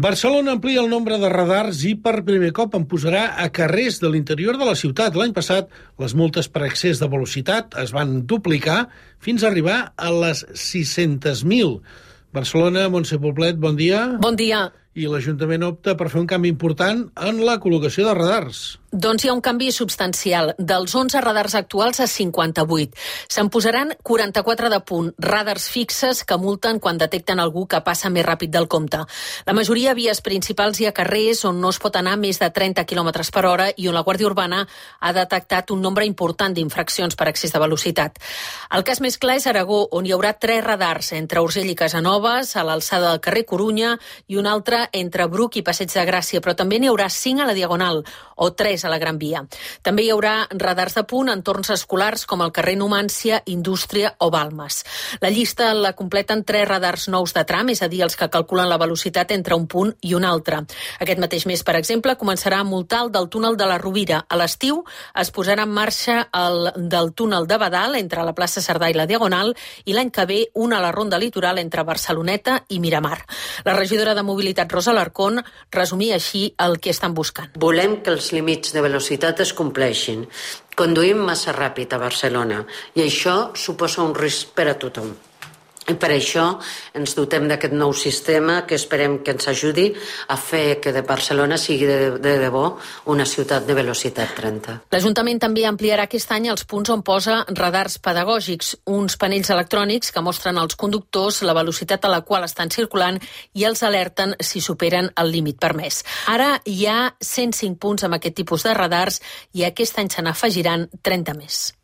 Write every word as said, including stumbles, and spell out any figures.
Barcelona amplia el nombre de radars i per primer cop en posarà a carrers de l'interior de la ciutat. L'any passat, les multes per excés de velocitat es van duplicar fins a arribar a les sis-centes mil. Barcelona, Montse Poblet, bon dia. Bon dia. I l'Ajuntament opta per fer un canvi important en la col·locació de radars. Doncs hi ha un canvi substancial, dels onze radars actuals a cinquanta-vuit. Se'n posaran quaranta-quatre de punt, radars fixes que multen quan detecten algú que passa més ràpid del compte. La majoria a vies principals i a carrers on no es pot anar més de trenta quilòmetres per hora i on la Guàrdia Urbana ha detectat un nombre important d'infraccions per excés de velocitat. El cas més clar és Aragó, on hi haurà tres radars entre Urgell i Casanovas, a l'alçada del carrer Corunya, i un altre entre Bruc i Passeig de Gràcia, però també n'hi haurà cinc a la Diagonal, o tres a la Gran Via. També hi haurà radars de punt en entorns escolars com el carrer Numància, Indústria o Balmes. La llista la completen tres radars nous de tram, és a dir, els que calculen la velocitat entre un punt i un altre. Aquest mateix mes, per exemple, començarà a multar el del túnel de la Rovira. A l'estiu es posarà en marxa el del túnel de Badal entre la plaça Cerdà i la Diagonal i l'any que ve una a la ronda litoral entre Barceloneta i Miramar. La regidora de Mobilitat, Rosa Alarcón, resumia així el que estan buscant. Volem que els límits de velocitat es compleixin. Conduïm massa ràpid a Barcelona i això suposa un risc per a tothom. I per això ens dotem d'aquest nou sistema que esperem que ens ajudi a fer que de Barcelona sigui de, de debò una ciutat de velocitat trenta. L'Ajuntament també ampliarà aquest any els punts on posa radars pedagògics, uns panells electrònics que mostren als conductors la velocitat a la qual estan circulant i els alerten si superen el límit permès. Ara hi ha cent cinc punts amb aquest tipus de radars i aquest any se n'afegiran trenta més.